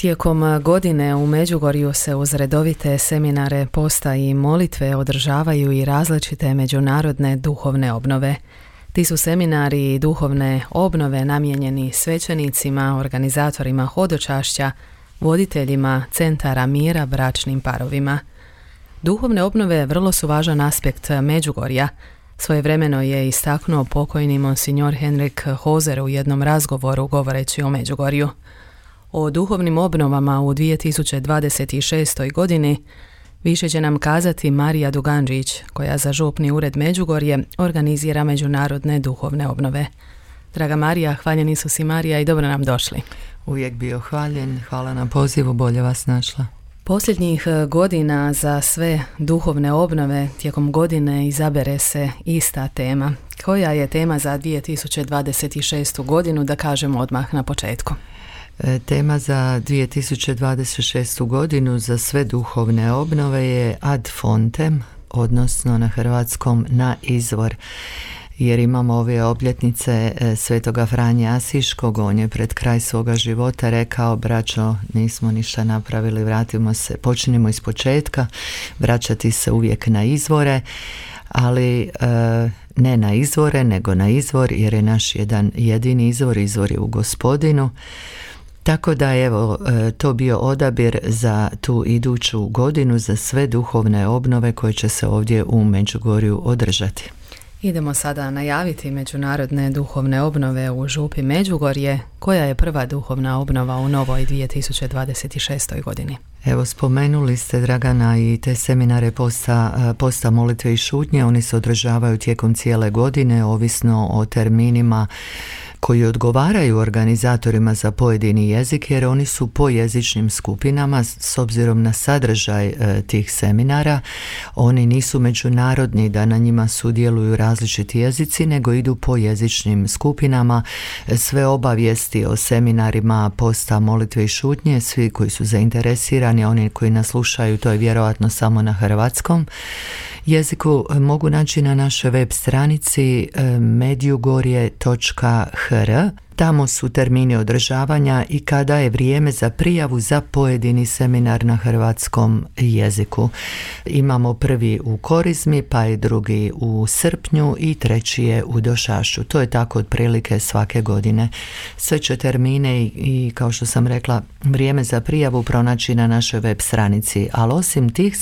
Tijekom godine u Međugorju se uz redovite seminare, posta i molitve održavaju i različite međunarodne duhovne obnove. Ti su seminari i duhovne obnove namijenjeni svećenicima, organizatorima hodočašća, voditeljima centara mira, bračnim parovima. Duhovne obnove vrlo su važan aspekt Međugorja. Svojevremeno je istaknuo pokojni monsignor Henrik Hozer u jednom razgovoru govoreći o Međugorju. O duhovnim obnovama u 2026. godini više će nam kazati Marija Duganđić, koja za župni ured Međugorje organizira međunarodne duhovne obnove. Draga Marija, hvaljeni su si Marija i dobro nam došli. Uvijek bio hvaljen, hvala na pozivu, bolje vas našla. Posljednjih godina za sve duhovne obnove tijekom godine izabere se ista tema. Koja je tema za 2026. godinu, da kažemo odmah na početku? Tema za 2026. godinu za sve duhovne obnove je ad fontem, odnosno na hrvatskom na izvor. Jer imamo ove obljetnice svetoga Franje Asiškog, on je pred kraj svoga života rekao: braćo, nismo ništa napravili, vratimo se, počnimo iz početka, vraćati se uvijek na izvore, ali ne na izvore, nego na izvor, jer je naš jedan jedini izvor je u Gospodinu. Tako da evo, to bio odabir za tu iduću godinu za sve duhovne obnove koje će se ovdje u Međugorju održati. Idemo sada najaviti međunarodne duhovne obnove u župi Međugorje. Koja je prva duhovna obnova u novoj 2026. godini? Evo, spomenuli ste, Dragana, i te seminare posta, molitve i šutnje. Oni se održavaju tijekom cijele godine, ovisno o terminima koji odgovaraju organizatorima za pojedini jezik, jer oni su po jezičnim skupinama. S obzirom na sadržaj tih seminara, oni nisu međunarodni da na njima sudjeluju različiti jezici, nego idu po jezičnim skupinama. Sve obavijesti o seminarima posta, molitve i šutnje, svi koji su zainteresirani, oni koji nas slušaju, to je vjerojatno samo na hrvatskom jeziku, mogu naći na našoj web stranici medjugorje.hr. Tamo su termini održavanja i kada je vrijeme za prijavu za pojedini seminar na hrvatskom jeziku. Imamo prvi u Korizmi, pa je drugi u srpnju i treći je u Došašu. To je tako otprilike svake godine. Sve će termine i kao što sam rekla, vrijeme za prijavu pronaći na našoj web stranici. Ali osim tih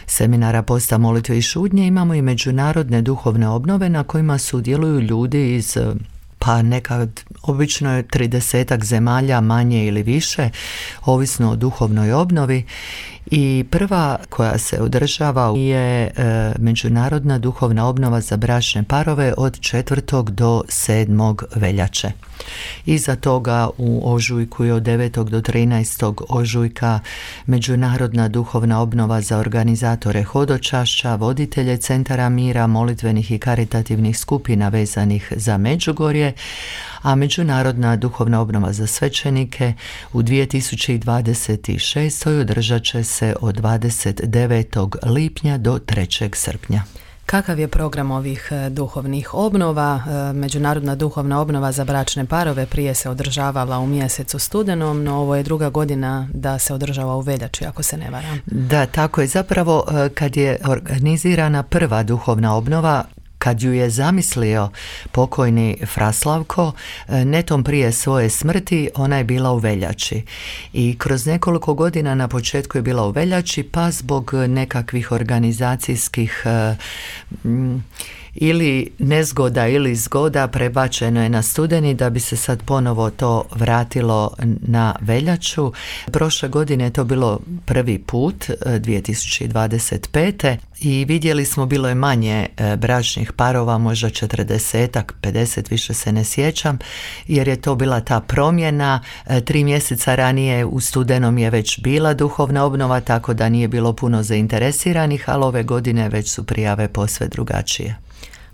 seminara posta, molitve i šutnje, imamo i međunarodne duhovne obnove na kojima sudjeluju ljudi iz nekad, obično je 30 zemalja, manje ili više, ovisno o duhovnoj obnovi. I prva koja se održava je međunarodna duhovna obnova za bračne parove od 4. do 7. veljače. Iza toga u ožujku je od 9. do 13. ožujka međunarodna duhovna obnova za organizatore hodočašća, voditelje centara mira, molitvenih i karitativnih skupina vezanih za Međugorje, a međunarodna duhovna obnova za svećenike u 2026. održat će se od 29. lipnja do 3. srpnja. Kakav je program ovih duhovnih obnova? Međunarodna duhovna obnova za bračne parove prije se održavala u mjesecu studenom, no ovo je druga godina da se održava u veljači, ako se ne varam. Da, tako je. Zapravo, kad je organizirana prva duhovna obnova, kad ju je zamislio pokojni Fraslavko, netom prije svoje smrti, ona je bila u veljači. I kroz nekoliko godina na početku je bila u veljači, pa zbog nekakvih organizacijskih ili nezgoda ili zgoda prebačeno je na studeni, da bi se sad ponovo to vratilo na veljaču. Prošle godine je to bilo prvi put, 2025. I vidjeli smo, bilo je manje bračnih parova, možda 40-ak, 50, više se ne sjećam, jer je to bila ta promjena. 3 mjeseca ranije u studenom je već bila duhovna obnova, tako da nije bilo puno zainteresiranih, ali ove godine već su prijave posve drugačije.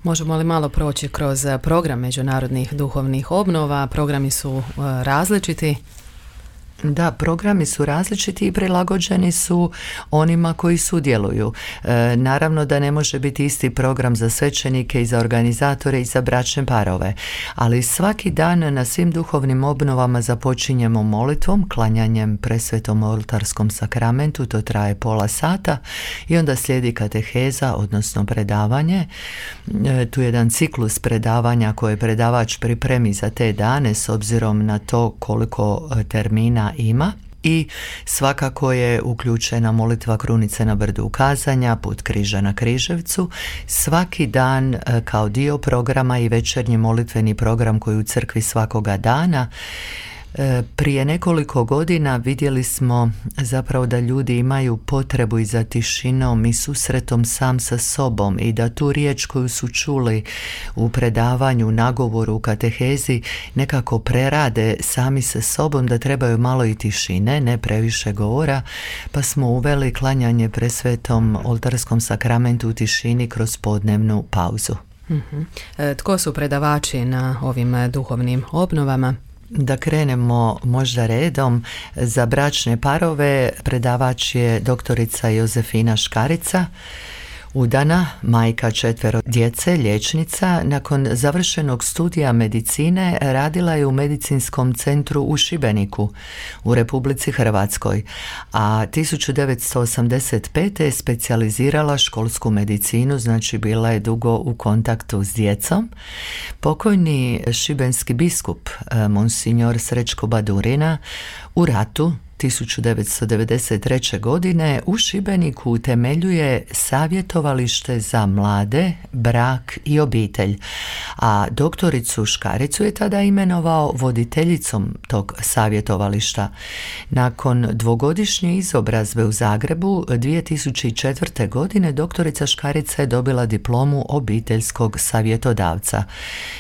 Možemo li malo proći kroz program međunarodnih duhovnih obnova? Programi su različiti. Da, programi su različiti i prilagođeni su onima koji sudjeluju. Naravno da ne može biti isti program za svećenike i za organizatore i za bračne parove, ali svaki dan na svim duhovnim obnovama započinjemo molitvom, klanjanjem presvetom oltarskom sakramentu, to traje pola sata i onda slijedi kateheza, odnosno predavanje. Tu je jedan ciklus predavanja koje predavač pripremi za te dane s obzirom na to koliko termina ima. I svakako je uključena molitva krunice na brdu ukazanja, put križa na Križevcu. Svaki dan kao dio programa i večernji molitveni program koji u crkvi svakoga dana. Prije nekoliko godina vidjeli smo zapravo da ljudi imaju potrebu i za tišinom i susretom sam sa sobom i da tu riječ koju su čuli u predavanju, nagovoru, u katehezi nekako prerade sami sa sobom, da trebaju malo i tišine, ne previše govora, pa smo uveli klanjanje presvetom oltarskom sakramentu u tišini kroz podnevnu pauzu. Tko su predavači na ovim duhovnim obnovama? Da krenemo možda redom, za bračne parove predavač je doktorica Jozefina Škarica, udana, majka 4 djece, liječnica. Nakon završenog studija medicine radila je u medicinskom centru u Šibeniku u Republici Hrvatskoj, a 1985. je specijalizirala školsku medicinu, znači bila je dugo u kontaktu s djecom. Pokojni šibenski biskup Monsignor Srećko Badurina u ratu 1993. godine u Šibeniku utemeljuje savjetovalište za mlade, brak i obitelj, a doktoricu Škaricu je tada imenovao voditeljicom tog savjetovališta. Nakon 2-godišnje izobrazbe u Zagrebu 2004. godine doktorica Škarica je dobila diplomu obiteljskog savjetodavca.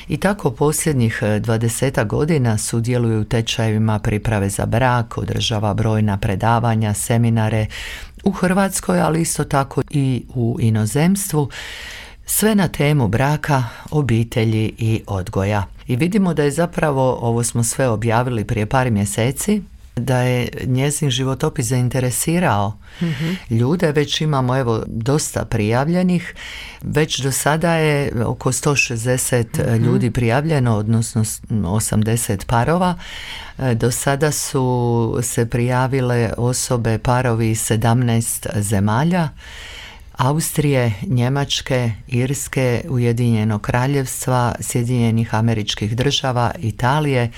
I tako posljednjih 20 godina sudjeluje u tečajevima priprave za brak, održava brojna predavanja, seminare u Hrvatskoj, ali isto tako i u inozemstvu, sve na temu braka, obitelji i odgoja. I vidimo da je zapravo, ovo smo sve objavili prije par mjeseci, da je njezin životopis zainteresirao ljude. Već imamo dosta prijavljenih, već do sada je oko 160 ljudi prijavljeno, odnosno 80 parova. Do sada su se prijavile osobe, parovi iz 17 zemalja, Austrije, Njemačke, Irske, Ujedinjenog Kraljevstva, Sjedinjenih Američkih Država, Italije,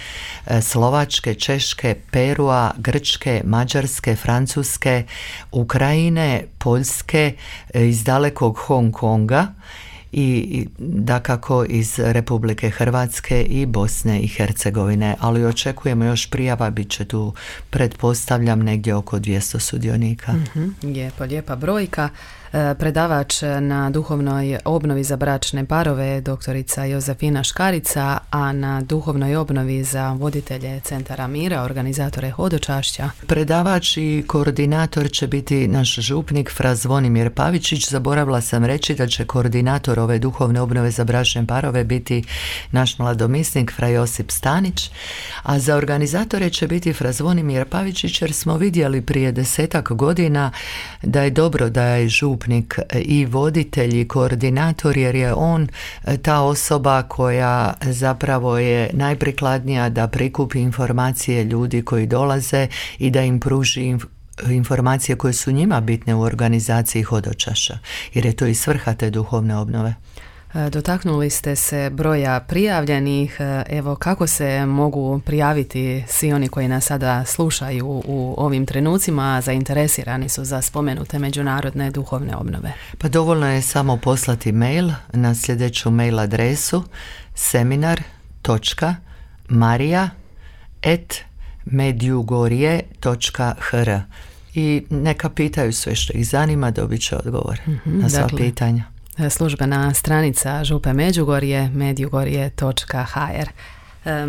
Slovačke, Češke, Perua, Grčke, Mađarske, Francuske, Ukrajine, Poljske, iz dalekog Hong Konga i dakako iz Republike Hrvatske i Bosne i Hercegovine, ali očekujemo još prijava, bit će tu, pretpostavljam, negdje oko 200 sudionika. Lijepa brojka. Predavač na duhovnoj obnovi za bračne parove doktorica Jozefina Škarica, a na duhovnoj obnovi za voditelje Centara mira, organizatore hodočašća. Predavač i koordinator će biti naš župnik fra Zvonimir Pavičić. Zaboravila sam reći da će koordinator ove duhovne obnove za bračne parove biti naš mladomisnik fra Josip Stanić, a za organizatore će biti fra Zvonimir Pavičić, jer smo vidjeli prije 10 godina da je dobro da je župnik i voditelj i koordinator, jer je on ta osoba koja zapravo je najprikladnija da prikupi informacije ljudi koji dolaze i da im pruži informacije koje su njima bitne u organizaciji hodočaša, jer je to i svrha te duhovne obnove. Dotaknuli ste se broja prijavljenih. Evo, kako se mogu prijaviti svi oni koji nas sada slušaju u ovim trenucima, zainteresirani su za spomenute međunarodne duhovne obnove? Pa dovoljno je samo poslati mail na sljedeću mail adresu seminar.maria@medjugorje.hr i neka pitaju sve što ih zanima, dobit će odgovor na sva pitanja. Službena stranica Župe Međugorje, medjugorje.hr.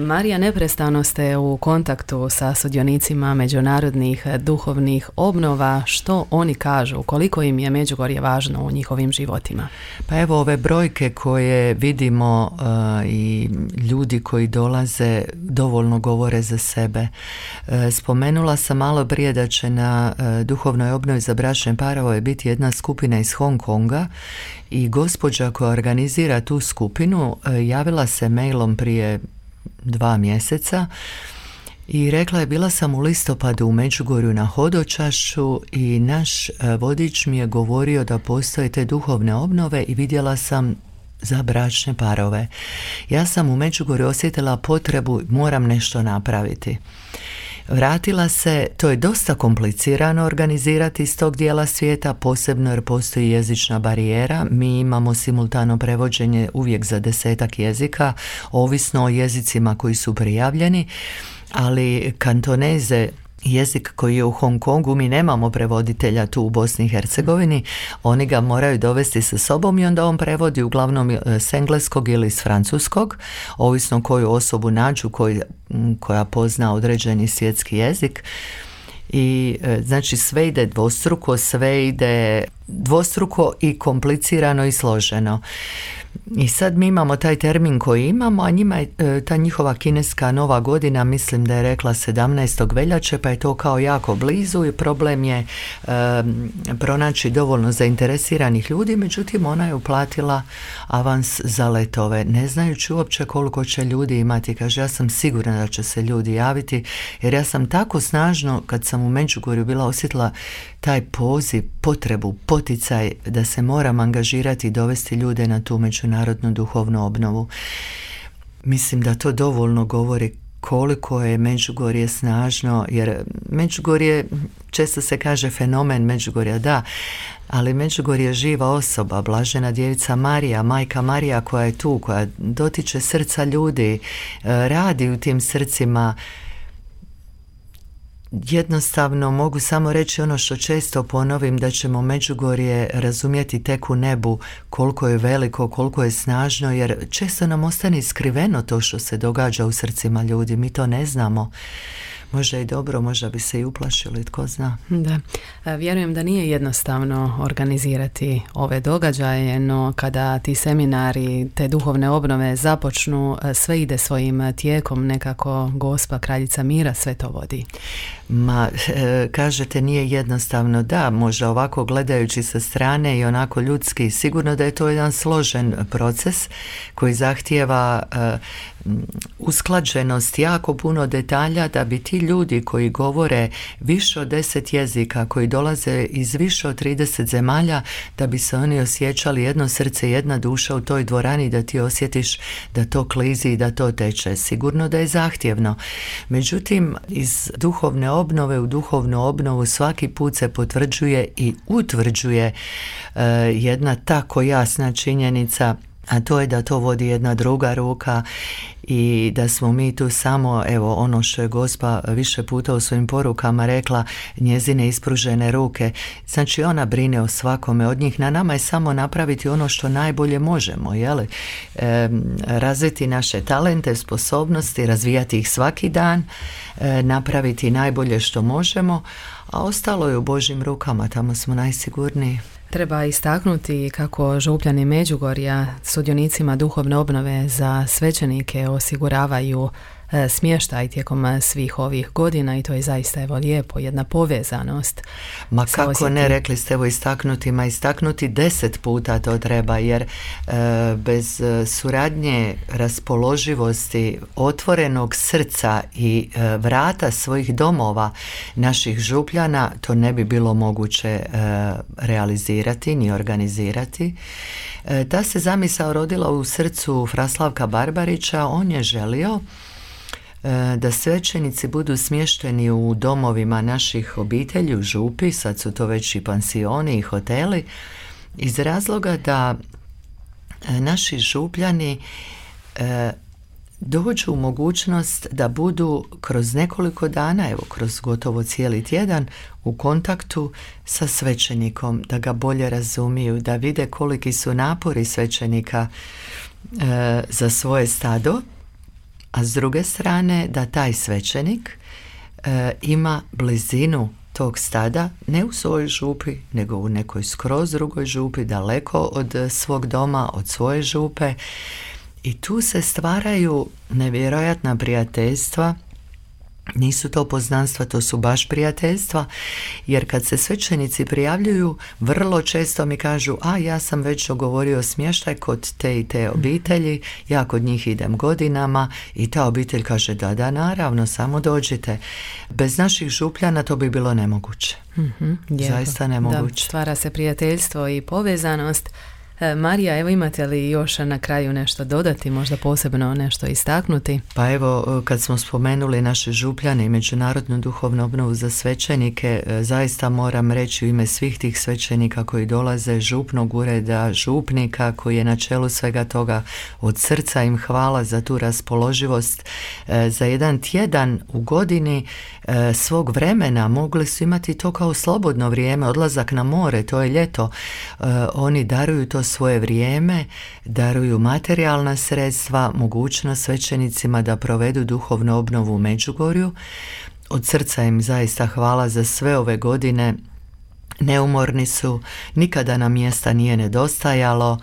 Marija, neprestano ste u kontaktu sa sudionicima međunarodnih duhovnih obnova. Što oni kažu? Koliko im je Međugorje važno u njihovim životima? Pa evo, ove brojke koje vidimo i ljudi koji dolaze dovoljno govore za sebe. Spomenula sam malo prije da će na duhovnoj obnovi za bračne parove biti jedna skupina iz Hong Konga i gospođa koja organizira tu skupinu javila se mailom prije 2 mjeseca i rekla je: bila sam u listopadu u Međugorju na hodočašću i naš vodič mi je govorio da postoje te duhovne obnove i vidjela sam za bračne parove. Ja sam u Međugorju osjetila potrebu, moram nešto napraviti. Vratila se, to je dosta komplicirano organizirati iz tog dijela svijeta, posebno jer postoji jezična barijera. Mi imamo simultano prevođenje uvijek za 10 jezika, ovisno o jezicima koji su prijavljeni, ali kantoneze, jezik koji je u Hong Kongu, mi nemamo prevoditelja tu u Bosni i Hercegovini, oni ga moraju dovesti sa sobom i onda on prevodi uglavnom s engleskog ili s francuskog, ovisno koju osobu nađu koja pozna određeni svjetski jezik. I znači sve ide dvostruko i komplicirano i složeno. I sad mi imamo taj termin koji imamo, a njima je ta njihova kineska nova godina, mislim da je rekla 17. veljače, pa je to kao jako blizu i problem je pronaći dovoljno zainteresiranih ljudi, međutim ona je uplatila avans za letove, ne znajući uopće koliko će ljudi imati. Kaže, ja sam sigurna da će se ljudi javiti, jer ja sam tako snažno, kad sam u Međugorju bila, osjetila taj poziv, potrebu, poticaj da se moram angažirati i dovesti ljude na tu međunarodnu duhovnu obnovu. Mislim da to dovoljno govori koliko je Međugorje snažno, jer Međugorje, često se kaže fenomen Međugorja, da, ali Međugorje je živa osoba, blažena djevica Marija, majka Marija koja je tu, koja dotiče srca ljudi, radi u tim srcima. Jednostavno mogu samo reći ono što često ponovim, da ćemo Međugorje razumjeti tek u nebu, koliko je veliko, koliko je snažno, jer često nam ostane skriveno to što se događa u srcima ljudi, mi to ne znamo. Možda i dobro, možda bi se i uplašili, tko zna. Da, vjerujem da nije jednostavno organizirati ove događaje, no kada ti seminari, te duhovne obnove započnu, sve ide svojim tijekom, nekako Gospa Kraljica mira sve to vodi. Kažete nije jednostavno, da, možda ovako gledajući sa strane i onako ljudski, sigurno da je to jedan složen proces koji zahtijeva usklađenost, jako puno detalja, da bi ti ljudi koji govore više od 10 jezika, koji dolaze iz više od 30 zemalja, da bi se oni osjećali jedno srce, jedna duša u toj dvorani, da ti osjetiš da to klizi i da to teče. Sigurno da je zahtjevno. Međutim, iz duhovne obnove u duhovnu obnovu svaki put se potvrđuje i utvrđuje jedna tako jasna činjenica, a to je da to vodi jedna druga ruka i da smo mi tu samo, evo, ono što je Gospa više puta u svojim porukama rekla, njezine ispružene ruke. Znači ona brine o svakome od njih, na nama je samo napraviti ono što najbolje možemo, jeli? Razviti naše talente, sposobnosti, razvijati ih svaki dan, napraviti najbolje što možemo, a ostalo je u Božjim rukama, tamo smo najsigurniji. Treba istaknuti kako župljani Međugorja sudionicima duhovne obnove za svećenike osiguravaju smještaj tijekom svih ovih godina i to je zaista evo lijepo, jedna povezanost. Ma kako osjeti. Ne, rekli ste evo istaknuti 10 puta to treba, jer bez suradnje, raspoloživosti, otvorenog srca i vrata svojih domova naših župljana to ne bi bilo moguće realizirati ni organizirati. Ta se zamisao rodila u srcu Fra Slavka Barbarića. On je želio da svećenici budu smješteni u domovima naših obitelji u župi, sad su to već i pansioni i hoteli, iz razloga da naši župljani dođu u mogućnost da budu kroz nekoliko dana, evo kroz gotovo cijeli tjedan, u kontaktu sa svećenikom, da ga bolje razumiju, da vide koliki su napori svećenika za svoje stado, a s druge strane da taj svećenik ima blizinu tog stada, ne u svojoj župi, nego u nekoj skroz drugoj župi, daleko od svog doma, od svoje župe. I tu se stvaraju nevjerojatna prijateljstva. Nisu to poznanstva, to su baš prijateljstva, jer kad se svećenici prijavljuju, vrlo često mi kažu, ja sam već dogovorio smještaj kod te i te obitelji, ja kod njih idem godinama, i ta obitelj kaže, da, naravno, samo dođite. Bez naših župljana to bi bilo nemoguće. Zaista nemoguće. Da, stvara se prijateljstvo i povezanost. Marija, evo, imate li još na kraju nešto dodati, možda posebno nešto istaknuti? Pa evo, kad smo spomenuli naše župljane i međunarodnu duhovnu obnovu za svećenike, zaista moram reći u ime svih tih svećenika koji dolaze, župnog ureda, župnika koji je na čelu svega toga, od srca im hvala za tu raspoloživost. Za jedan tjedan u godini svog vremena mogli su imati to kao slobodno vrijeme, odlazak na more, to je ljeto. Oni daruju to svoje vrijeme, daruju materijalna sredstva, mogućnost svećenicima da provedu duhovnu obnovu u Međugorju. Od srca im zaista hvala za sve ove godine. Neumorni su, nikada nam mjesta nije nedostajalo.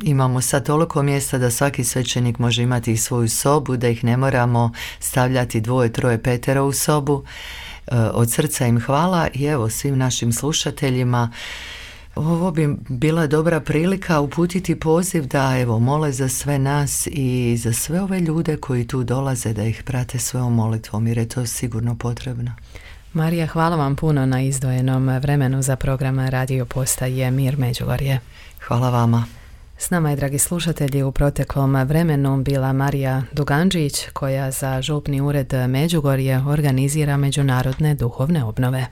Imamo sad toliko mjesta da svaki svećenik može imati i svoju sobu, da ih ne moramo stavljati 2, 3, 5 u sobu. Od srca im hvala i evo svim našim slušateljima. Ovo bi bila dobra prilika uputiti poziv da evo mole za sve nas i za sve ove ljude koji tu dolaze, da ih prate svojom molitvom, jer je to sigurno potrebno. Marija, hvala vam puno na izdvojenom vremenu za program Radio Postaje Mir Međugorje. Hvala vama. S nama je, dragi slušatelji, u proteklom vremenu bila Marija Duganđić, koja za župni ured Međugorje organizira međunarodne duhovne obnove.